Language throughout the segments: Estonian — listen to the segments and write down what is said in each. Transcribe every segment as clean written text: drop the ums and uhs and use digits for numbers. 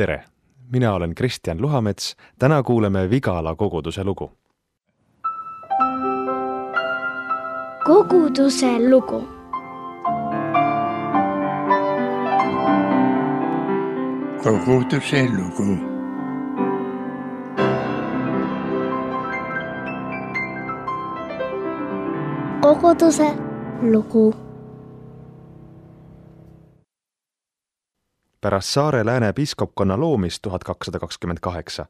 Tere! Mina olen Kristjan Luhamets. Täna kuuleme Vigala koguduse lugu. Koguduse lugu. Koguduse lugu. Koguduse lugu. Pärast Saare Lääne piiskopkonna loomist 1228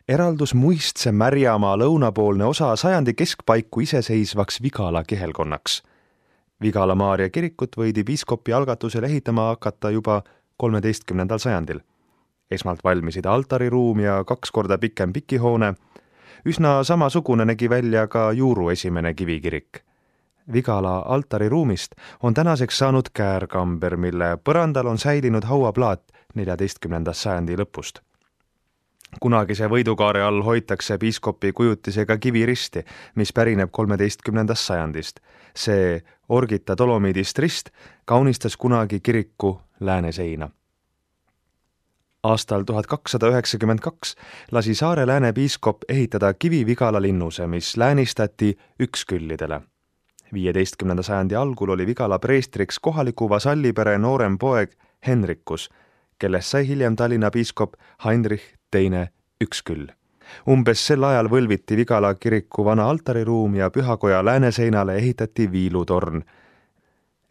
eraldus muistse Märjamaa lõunapoolne osa sajandi keskpaiku iseseisvaks Vigala kihelkonnaks. Vigala Maarja kirikut võidi piiskopi algatusel ehitama hakata juba 13. sajandil. Esmalt valmisid altariruum ja 2 korda pikem pikihoone. Üsna samasugune nägi välja ka Juuru esimene kivikirik. Vigala altariruumist on tänaseks saanud käärkamber, mille põrandal on säilinud hauaplaat 14. sajandi lõpust. Kunagise võidukaare all hoitakse piiskopi kujutisega kiviristi, mis pärineb 13. sajandist. See orgita dolomiidist rist kaunistas kunagi kiriku lääneseina. Aastal 1292 lasi Saare Lääne piiskop ehitada Kivi-Vigala linnuse, mis läänistati üksküllidele. 15. sajandi algul oli Vigala preestriks kohaliku vasallipere noorem poeg Henrikus, kellest sai hiljem Tallinna piiskop Heinrich II Üksküll. Umbes sel ajal võlviti Vigala kiriku vana altariruum ja pühakoja lääneseinale ehitati viilutorn.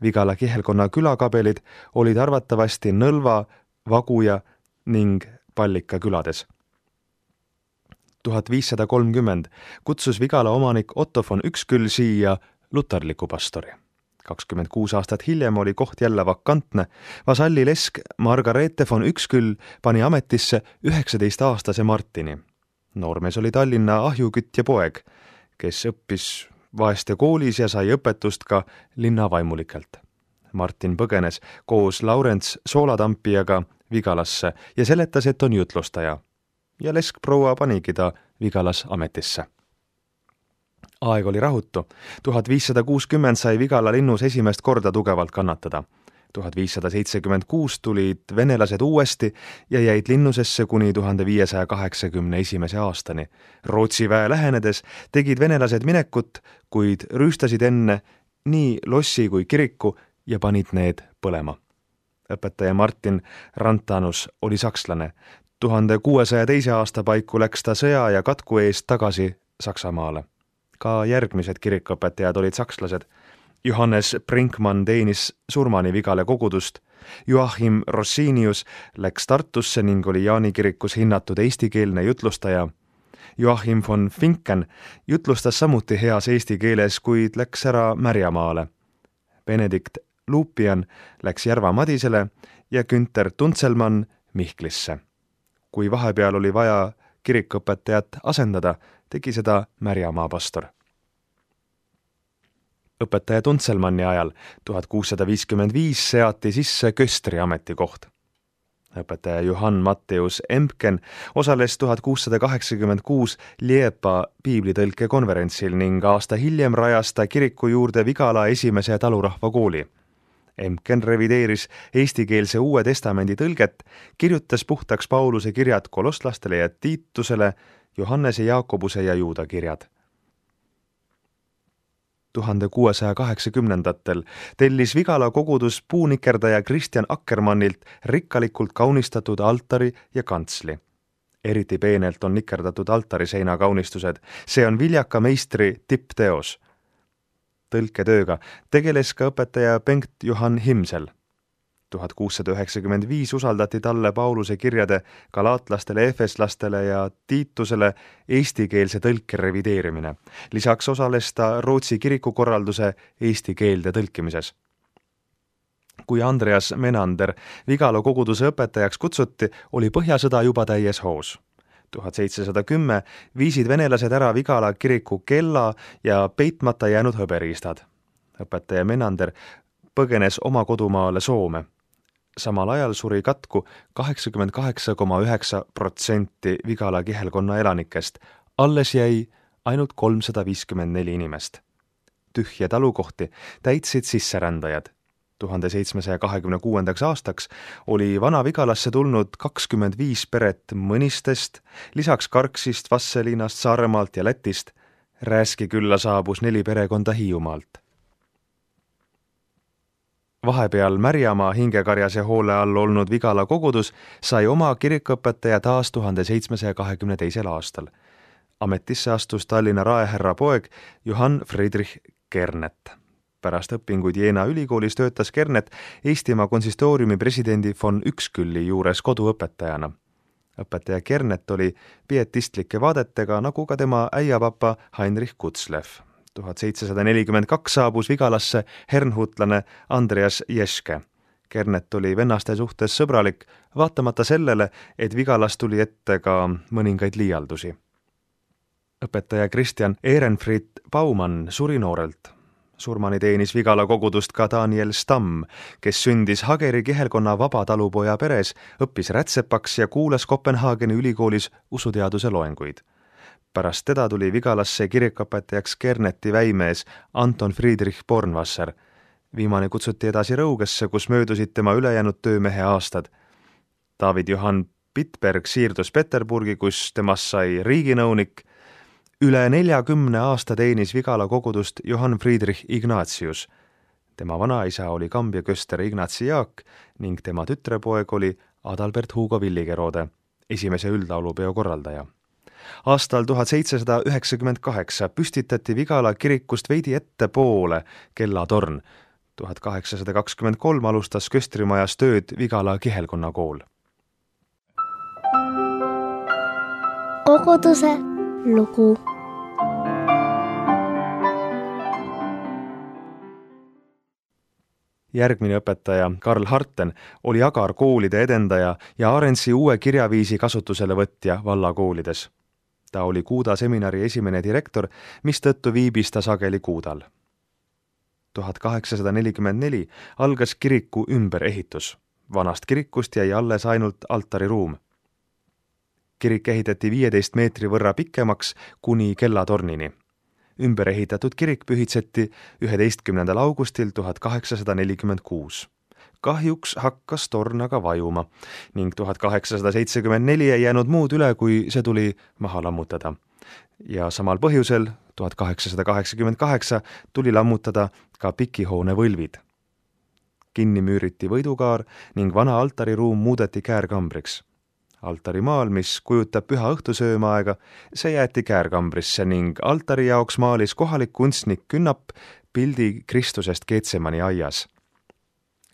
Vigala kihelkonna külakabelid olid arvatavasti Nõlva, Vaguja ning Pallika külades. 1530 kutsus Vigala omanik Otto von Üksküll siia luterliku pastori. 26 aastat hiljem oli koht jälle vakantne. Vasalli lesk Margareete von Üksküll pani ametisse 19-aastase Martini. Noormees oli Tallinna ahjukütt ja poeg, kes õppis vaeste koolis ja sai õpetust ka linna vaimulikelt. Martin põgenes koos Laurents Soolatampijaga Vigalasse ja seletas, et on jutlustaja. Ja leskproua panigi ta Vigalas ametisse. Aeg oli rahutu. 1560 sai Vigala linnus esimest korda tugevalt kannatada. 1576 tulid venelased uuesti ja jäid linnusesse kuni 1581. aastani. Rootsi väe lähenedes tegid venelased minekut, kuid rüüstasid enne nii lossi kui kiriku ja panid need põlema. Õpetaja Martin Rantanus oli sakslane. 1602. aasta paiku läks ta sõja ja katku eest tagasi Saksamaale. Ka järgmised kirikuõpetajad olid sakslased. Johannes Brinkmann teenis surmani Vigala kogudust. Joachim Rossinius läks Tartusse ning oli Jaani kirikus hinnatud eestikeelne jutlustaja. Joachim von Finken jutlustas samuti heas eesti keeles, kuid läks ära Märjamaale. Benedikt Lupian läks Järva Madisele ja Günther Tuntselmann Mihklisse. Kui vahepeal oli vaja kirikuõpetajat asendada, tegi seda Märjamaa pastor. Õpetaja Tuntselmanni ajal 1655 seati sisse köstri ametikoht. Õpetaja Johann Matteus Empken osales 1686 Liepa piiblitõlke konverentsil ning aasta hiljem rajas ta kiriku juurde Vigala esimese talurahva kooli. Empken revideeris eestikeelse Uue Testamendi tõlget, kirjutas puhtaks Pauluse kirjad kolosslastele ja Tiitusele, Johannese, Jaakobuse ja Juuda kirjad. 1680-ndatel tellis Vigala kogudus puunikerdaja Kristjan Akkermannilt rikkalikult kaunistatud altari ja kantsli. Eriti peenelt on nikerdatud altariseina kaunistused. See on viljaka meistri tippteos. Tõlketööga tegeles ka õpetaja Bengt Johann Himsel. 1695 usaldati talle Pauluse kirjade galaatlastele, efeslastele ja Tiitusele eestikeelse tõlke revideerimine. Lisaks osales ta Rootsi kirikukorralduse eesti keelde tõlkimises. Kui Andreas Menander Vigala koguduse õpetajaks kutsuti, oli Põhjasõda juba täies hoos. 1710 viisid venelased ära Vigala kiriku kella ja peitmata jäänud hõberiistad. Õpetaja Menander põgenes oma kodumaale Soome. Samal ajal suri katku 88,9% Vigala kihelkonna elanikest. Alles jäi ainult 354 inimest. Tühje talukohti täitsid sisserändajad. 1726. aastaks oli Vana-Vigalasse tulnud 25 peret Mõnistest, lisaks Karksist, Vastseliinast, Saaremaalt ja Lätist. Rääski külla saabus 4 perekonda Hiiumaalt. Vahepeal Märjamaa hingekarjase hoole all olnud Vigala kogudus sai oma kirikuõpetaja taas 1722. aastal. Ametisse astus Tallinna raehärra poeg Johann Friedrich Kernet. Pärast õpinguid Jeena ülikoolis töötas Kernet Eestimaa konsistooriumi presidendi von Ükskülli juures koduõpetajana. Õpetaja Kernet oli pietistlike vaadetega, nagu ka tema äiapapa Heinrich Kutzlev. 1742 saabus Vigalasse hernhutlane Andreas Jeske. Kernet oli vennaste suhtes sõbralik, vaatamata sellele, et Vigalas tuli ette ka mõningaid liialdusi. Õpetaja Christian Ehrenfried Baumann suri noorelt. Surmani teenis Vigala kogudust ka Daniel Stamm, kes sündis Hageri kihelkonna vabatalupoja peres, õppis rätsepaks ja kuulas Kopenhaageni ülikoolis usuteaduse loenguid. Pärast teda tuli Vigalasse kirikuõpetajaks Kerneti väimees Anton Friedrich Bornwasser. Viimane kutsuti edasi Rõugesse, kus möödusid tema ülejäänud töömehe aastad. David Johann Pitberg siirdus Peterburgi, kus temast sai riiginõunik. Üle 40 aasta teenis Vigala kogudust Johann Friedrich Ignatius. Tema vanaisa oli Kambja köster Ignatsi Jaak ning tema tütrepoeg oli Adalbert Hugo Villigerode, esimese üldlaulupeo korraldaja. Aastal 1798 püstitati Vigala kirikust veidi ettepoole kellatorn. 1823 alustas köstrimajas tööd Vigala kihelkonna kool. Koguduse lugu. Järgmine õpetaja, Karl Harten, oli agarkoolide edendaja ja Arendsi uue kirjaviisi kasutusele võtja vallakoolides. Ta oli Kuuda seminari esimene direktor, mistõttu viibis ta sageli Kuudal. 1844 algas kiriku ümberehitus. Vanast kirikust jäi alles ainult altariruum. Kirik ehitati 15 meetri võrra pikemaks kuni kellatornini. Ümber ehitatud kirik pühitseti 11. augustil 1846. Kahjuks hakkas torn aga vajuma ning 1874 ei jäänud muud üle, kui see tuli maha lammutada. Ja samal põhjusel 1888 tuli lammutada ka pikihoone võlvid. Kinni müüriti võidukaar ning vana altariruum muudeti käärkambriks. Altarimaal, mis kujutab püha õhtusöömaaega, see jäeti käärkambrisse ning altari jaoks maalis kohalik kunstnik Künnap pildi Kristusest Getsemani aias.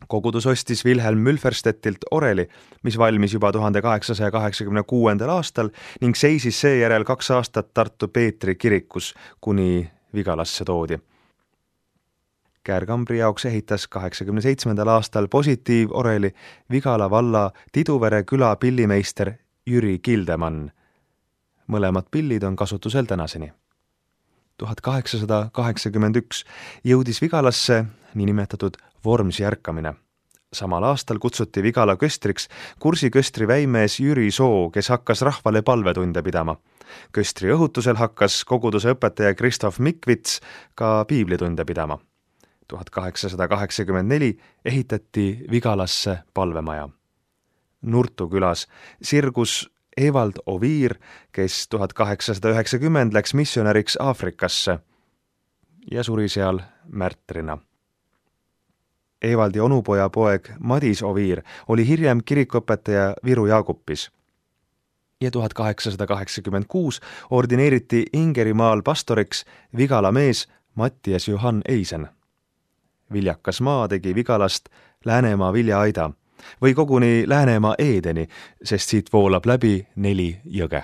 Kogudus ostis Wilhelm Mülferstedtilt oreli, mis valmis juba 1886. aastal ning seisis seejärel 2 aastat Tartu Peetri kirikus, kuni Vigalasse toodi. Käärkambri jaoks ehitas 87. aastal positiivoreli Vigala valla Tiduvere küla pillimeister Jüri Kildemann. Mõlemad pillid on kasutusel tänaseni. 1881 jõudis Vigalasse niinimetatud Vormsi ärkamine. Samal aastal kutsuti Vigala köstriks Kursi köstri väimees Jüri Soo, kes hakkas rahvale palvetunde pidama. Köstri õhutusel hakkas koguduse õpetaja Kristof Mikvits ka piiblitunde pidama. 1884 ehitati Vigalasse palvemaja. Nurtu külas sirgus Evald Oviir, kes 1890 läks missionäriks Aafrikasse ja suri seal märtrina. Evaldi onupoja poeg Madis Oviir oli hiljem kirikuõpetaja Viru Jaagupis ja 1886 ordineeriti Ingerimaal pastoriks Vigala mees Mattias Johann Eisen. Viljakas maa tegi Vigalast Läänemaa viljaaida või koguni Läänemaa Eedeni, sest siit voolab läbi 4 jõge.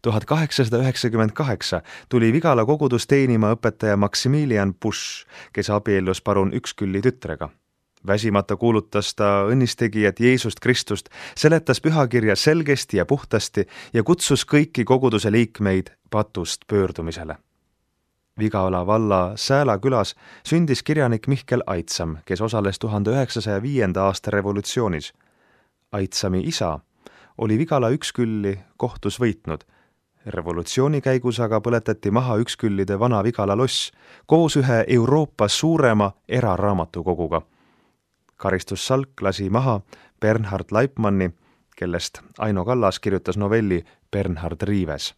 1898 tuli Vigala kogudus teenima õpetaja Maximilian Busch, kes abiellus parun Ükskülli tütrega. Väsimata kuulutas ta õnnistegijat Jeesust Kristust, seletas pühakirja selgesti ja puhtasti ja kutsus kõiki koguduse liikmeid patust pöördumisele. Vigala valla Sääla külas sündis kirjanik Mihkel Aitsam, kes osales 1905. aasta revolutsioonis. Aitsami isa oli Vigala Ükskülli kohtus võitnud. Revolutsiooni käigus aga põletati maha Üksküllide Vana-Vigala loss koos ühe Euroopa suurema eraraamatukoguga. Karistussalk lasi maha Bernhard Leipmanni, kellest Aino Kallas kirjutas novelli Bernhard Riives.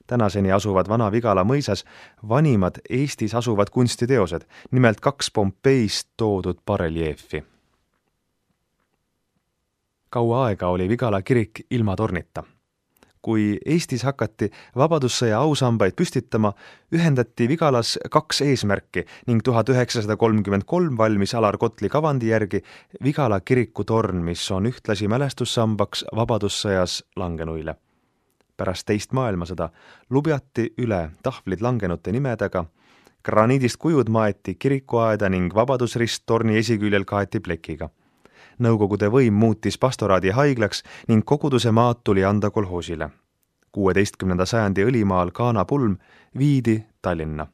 Tänaseni asuvad Vana-Vigala mõisas vanimad Eestis asuvad kunstiteosed, nimelt 2 Pompeist toodud bareljeefi. Kaua aega oli Vigala kirik ilma tornita. Kui Eestis hakati vabadussõja ausambaid püstitama, ühendati Vigalas 2 eesmärki ning 1933 valmis Alar Kotli kavandi järgi Vigala kiriku torn, mis on ühtlasi mälestussambaks vabadussõjas langenuile. Pärast teist maailmasõda lubjati üle tahvlid langenute nimedega, graniidist kujud maeti kirikuaeda ning vabadusrist torni esiküljel kaeti plekiga. Nõukogude võim muutis pastoraadi haiglaks ning koguduse maad tuli anda kolhoosile. 16. sajandi õlimaal Kaana pulm viidi Tallinna.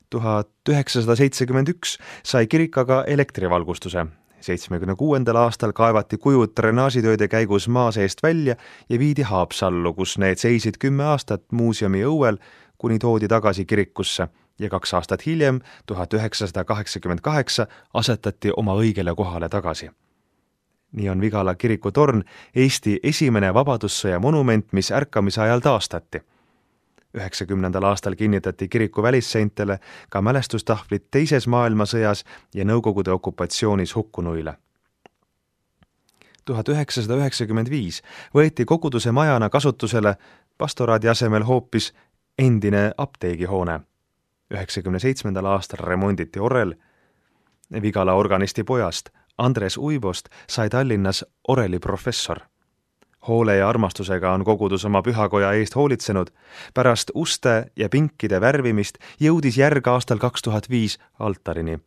1971 sai kirik aga elektrivalgustuse. 76. aastal kaevati kujud drenaažitööde käigus maa seest välja ja viidi Haapsallu, kus need seisid 10 aastat muuseumi õuel, kuni toodi tagasi kirikusse ja 2 aastat hiljem, 1988, asetati oma õigele kohale tagasi. Nii on Vigala kiriku torn Eesti esimene vabadussõja monument, mis ärkamise ajal taastati. 90. aastal kinnitati kiriku välisseintele ka mälestustahvlid teises maailmasõjas ja Nõukogude okupatsioonis hukkunuile. 1995 võeti koguduse majana kasutusele pastoraadi asemel hoopis endine apteegihoone. 97. aastal remonditi orel. Vigala organisti pojast Andres Uibost sai Tallinnas oreliprofessor. Hoole ja armastusega on kogudus oma pühakoja eest hoolitsenud. Pärast uste ja pinkide värvimist jõudis järg aastal 2005 altarini.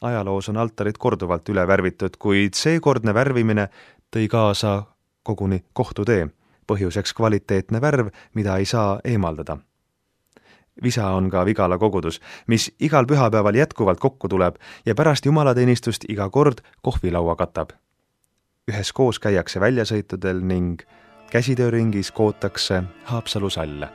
Ajaloos on altarid korduvalt üle värvitud, kuid seekordne värvimine tõi kaasa koguni kohtutee. Põhjuseks kvaliteetne värv, mida ei saa eemaldada. Visa on ka Vigala kogudus, mis igal pühapäeval jätkuvalt kokku tuleb ja pärast jumalateenistust iga kord kohvilaua katab. Üheskoos käiakse väljasõitudel ning käsitööringis kootakse Haapsalu salle.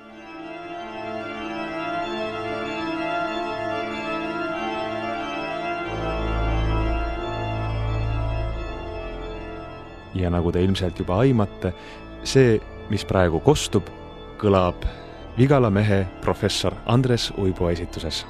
Ja nagu te ilmselt juba aimate, see, mis praegu kostub, kõlab Vigala mehe professor Andres Uibo esituses.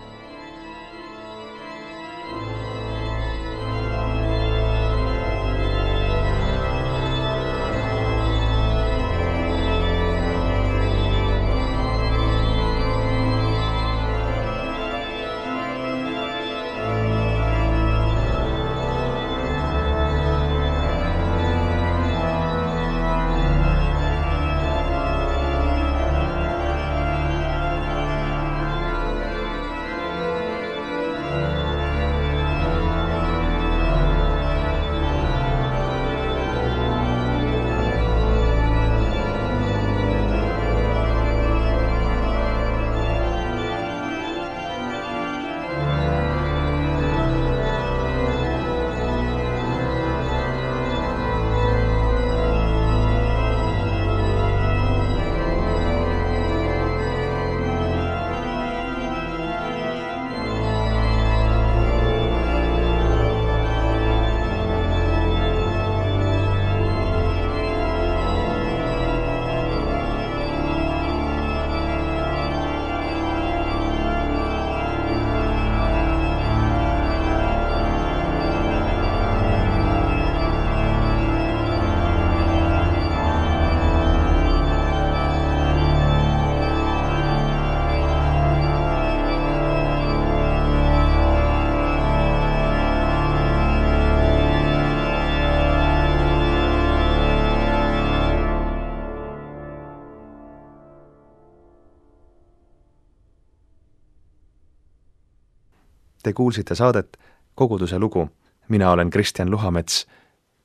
Te kuulsite saadet Koguduse lugu. Mina olen Kristjan Luhamets.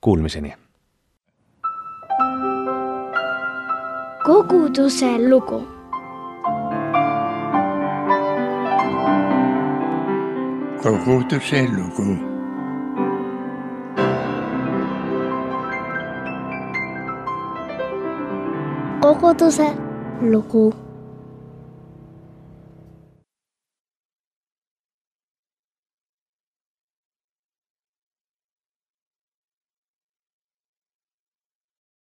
Kuulmiseni. Koguduse lugu. Koguduse lugu. Koguduse lugu.